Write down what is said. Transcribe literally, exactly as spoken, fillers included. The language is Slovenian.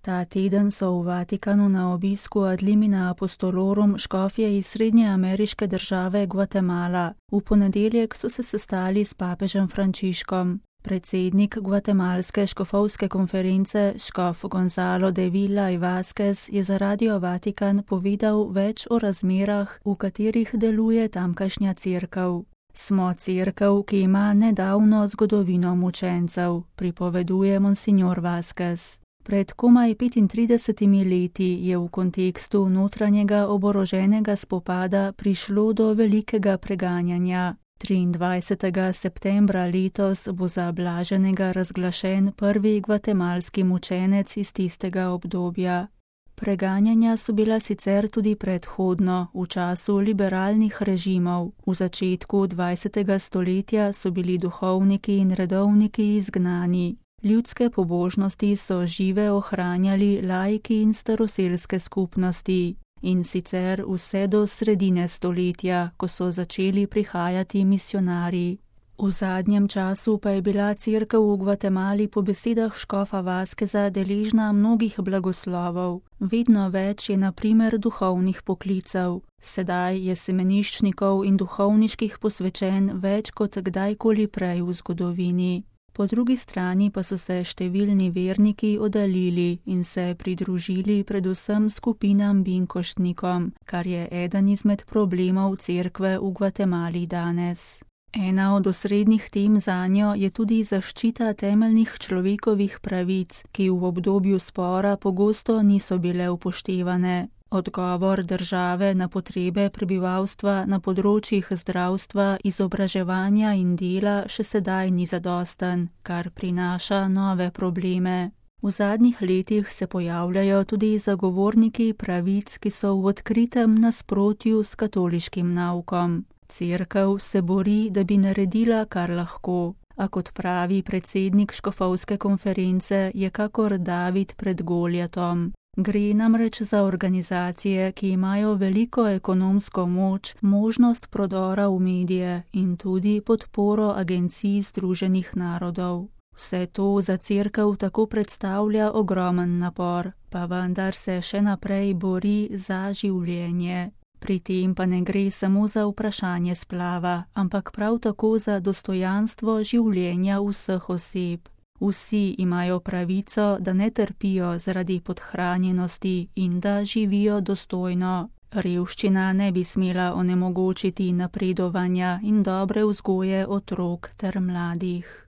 Ta teden so v Vatikanu na obisku ad limina apostolorum škofje iz srednjeameriške države Gvatemala. V ponedeljek so se sestali s papežem Frančiškom. Predsednik gvatemalske škofovske konference, škof Gonzalo de Villa y Vázquez, je za Radio Vatikan povedal več o razmerah, v katerih deluje tamkajšnja cerkev. Smo cerkev, ki ima nedavno zgodovino mučencev, pripoveduje monsignor Vázquez. Pred komaj petintridesetimi leti je v kontekstu notranjega oboroženega spopada prišlo do velikega preganjanja. triindvajsetega septembra letos bo za blaženega razglašen prvi gvatemalski mučenec iz tistega obdobja. Preganjanja so bila sicer tudi predhodno, v času liberalnih režimov. V začetku dvajsetega stoletja so bili duhovniki in redovniki izgnani. Ljudske pobožnosti so žive ohranjali laiki in staroselske skupnosti. In sicer vse do sredine stoletja, ko so začeli prihajati misionarji. V zadnjem času pa je bila cerkev v Gvatemali po besedah škofa Vázqueza deležna mnogih blagoslovov. Vedno več je na primer duhovnih poklicev. Sedaj je semeniščnikov in duhovniških posvečen več kot kdajkoli prej v zgodovini. Po drugi strani pa so se številni verniki oddaljili in se pridružili predvsem skupinam binkoštnikom, kar je eden izmed problemov cerkve v Gvatemali danes. Ena od osrednjih tem zanjo je tudi zaščita temeljnih človekovih pravic, ki v obdobju spora pogosto niso bile upoštevane. Odgovor države na potrebe prebivalstva na področjih zdravstva, izobraževanja in dela še sedaj ni zadosten, kar prinaša nove probleme. V zadnjih letih se pojavljajo tudi zagovorniki pravic, ki so v odkritem nasprotju s katoliškim naukom. Cerkev se bori, da bi naredila, kar lahko, a kot pravi predsednik škofovske konference, je kakor David pred Goljatom. Gre namreč za organizacije, ki imajo veliko ekonomsko moč, možnost prodora v medije in tudi podporo agencij Združenih narodov. Vse to za cerkev tako predstavlja ogromen napor, pa vendar se še naprej bori za življenje. Pri tem pa ne gre samo za vprašanje splava, ampak prav tako za dostojanstvo življenja vseh oseb. Vsi imajo pravico, da ne trpijo zaradi podhranjenosti in da živijo dostojno. Revščina ne bi smela onemogočiti napredovanja in dobre vzgoje otrok ter mladih.